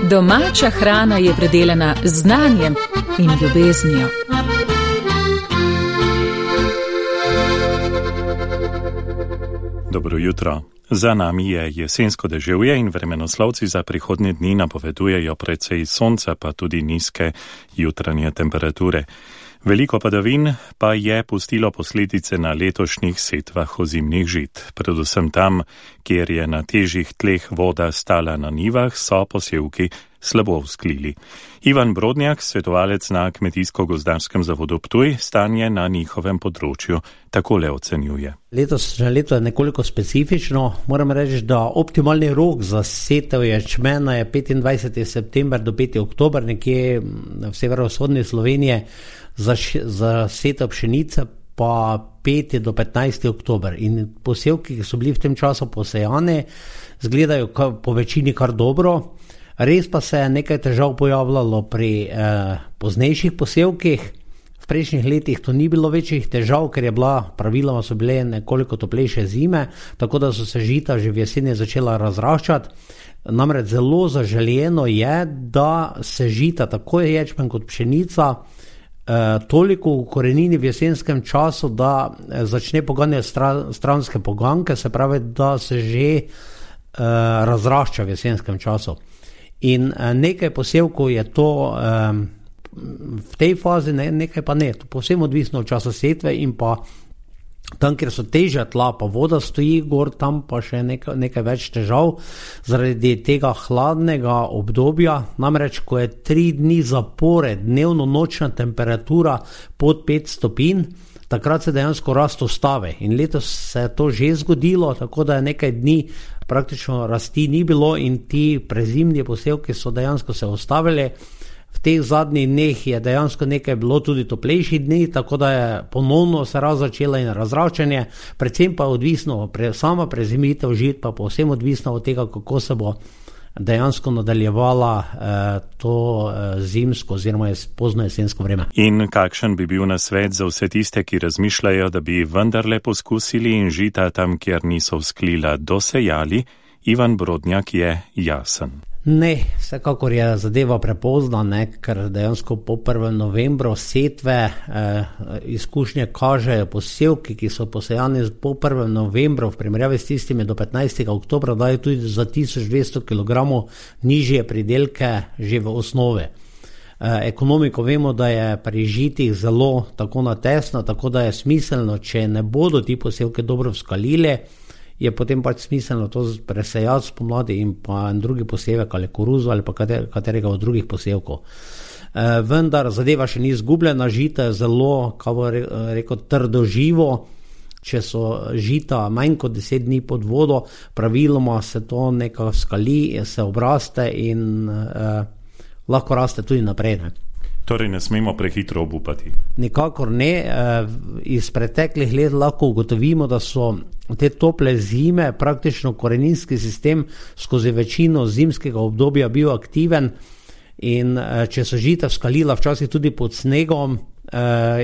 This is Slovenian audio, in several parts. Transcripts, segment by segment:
Domača hrana je predelana z znanjem in ljubeznijo. Dobro jutro. Za nami je jesensko deževje in vremenoslovci za prihodnje dni napovedujejo precej sonca, pa tudi nizke jutranje temperature. Veliko padavin pa je pustilo posledice na letošnjih setvah ozimnih žit. Predvsem tam, kjer je na težjih tleh voda stala na nivah, so posevki slabo vzklili. Ivan Brodnjak, svetovalec na Kmetijsko-gozdarskem zavodu Ptuj, stanje na njihovem področju takole ocenjuje. Letošnje leto je nekoliko specifično. Moram reči, da optimalni rok za setev ječmena je 25. september do 5. oktober, nekje v severovzhodni Sloveniji, za setev pšenice pa 5. do 15. oktober. In posevki, ki so bili v tem času posejani, izgledajo po večini kar dobro. Res pa se je nekaj težav pojavljalo pri poznejših posevkih. V prejšnjih letih to ni bilo večjih težav, ker praviloma so bile nekoliko toplejše zime, tako da so se žita že v jeseni začela razraščati. Namreč zelo zaželjeno je, da se žita tako ječmen kot pšenica toliko v korenini v jesenskem času, da začne poganjati stranske poganke, se pravi, da se že razrašča v jesenskem času. In nekaj posevkov je to v tej fazi, nekaj pa ne. To povsem odvisno od časa setve in pa tam, kjer so težja tla, pa voda stoji gor, tam pa še nekaj več težav zaradi tega hladnega obdobja. Namreč, ko je 3 dni zapored dnevno nočna temperatura pod 5 stopinj, takrat se dejansko rast ustavi. In letos se je to že zgodilo, tako da je nekaj dni praktično rasti ni bilo in ti prezimni posevki so dejansko se ustavili. V teh zadnjih dneh je dejansko nekaj bilo tudi toplejših dni, tako da je ponovno se začela in razraščanje, predvsem pa odvisno, sama prezimitev žit pa povsem odvisno od tega, kako se bo dejansko nadaljevala to zimsko oziroma pozno jesensko vreme. In kakšen bi bil nasvet za vse tiste, ki razmišljajo, da bi vendarle poskusili in žita tam, kjer niso vzklila, dosejali? Ivan Brodnjak je jasen. Ne, vsekakor je zadeva prepozna, ker dejansko po 1. novembru setve izkušnje kažejo posevki, ki so posejani po 1. novembru v primerjavi s tistimi do 15. oktobra, dajo tudi za 1200 kg nižje pridelke že v osnovi. Ekonomiko vemo, da je pri žitih zelo tako natesno, tako da je smiselno, če ne bodo ti posevki dobro vzkalili, je potem pač smiselno to presejati spomladi in pa drugi posevek ali koruzo ali pa katerega od drugih posevkov. Vendar zadeva še ni izgubljena, žita je zelo, kako bo rekel, trdo živo. Če so žita manj kot 10 dni pod vodo, praviloma se to nekako skali, se obraste in lahko raste tudi naprej. Torej ne smemo prehitro obupati. Nikakor ne. Iz preteklih let lahko ugotovimo, da so te tople zime praktično koreninski sistem skozi večino zimskega obdobja bil aktiven in če so žita vzkalila včasih tudi pod snegom,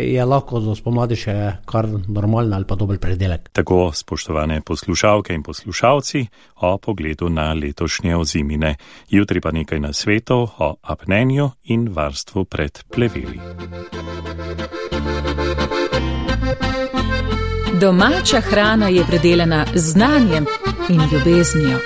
je lahko do spomladi še kar normalno ali pa dober predelek. Tako, spoštovane poslušalke in poslušalci, o pogledu na letošnje ozimine. Jutri pa nekaj nasvetov o apnenju in varstvu pred pleveli. Domača hrana je predelana z znanjem in ljubeznijo.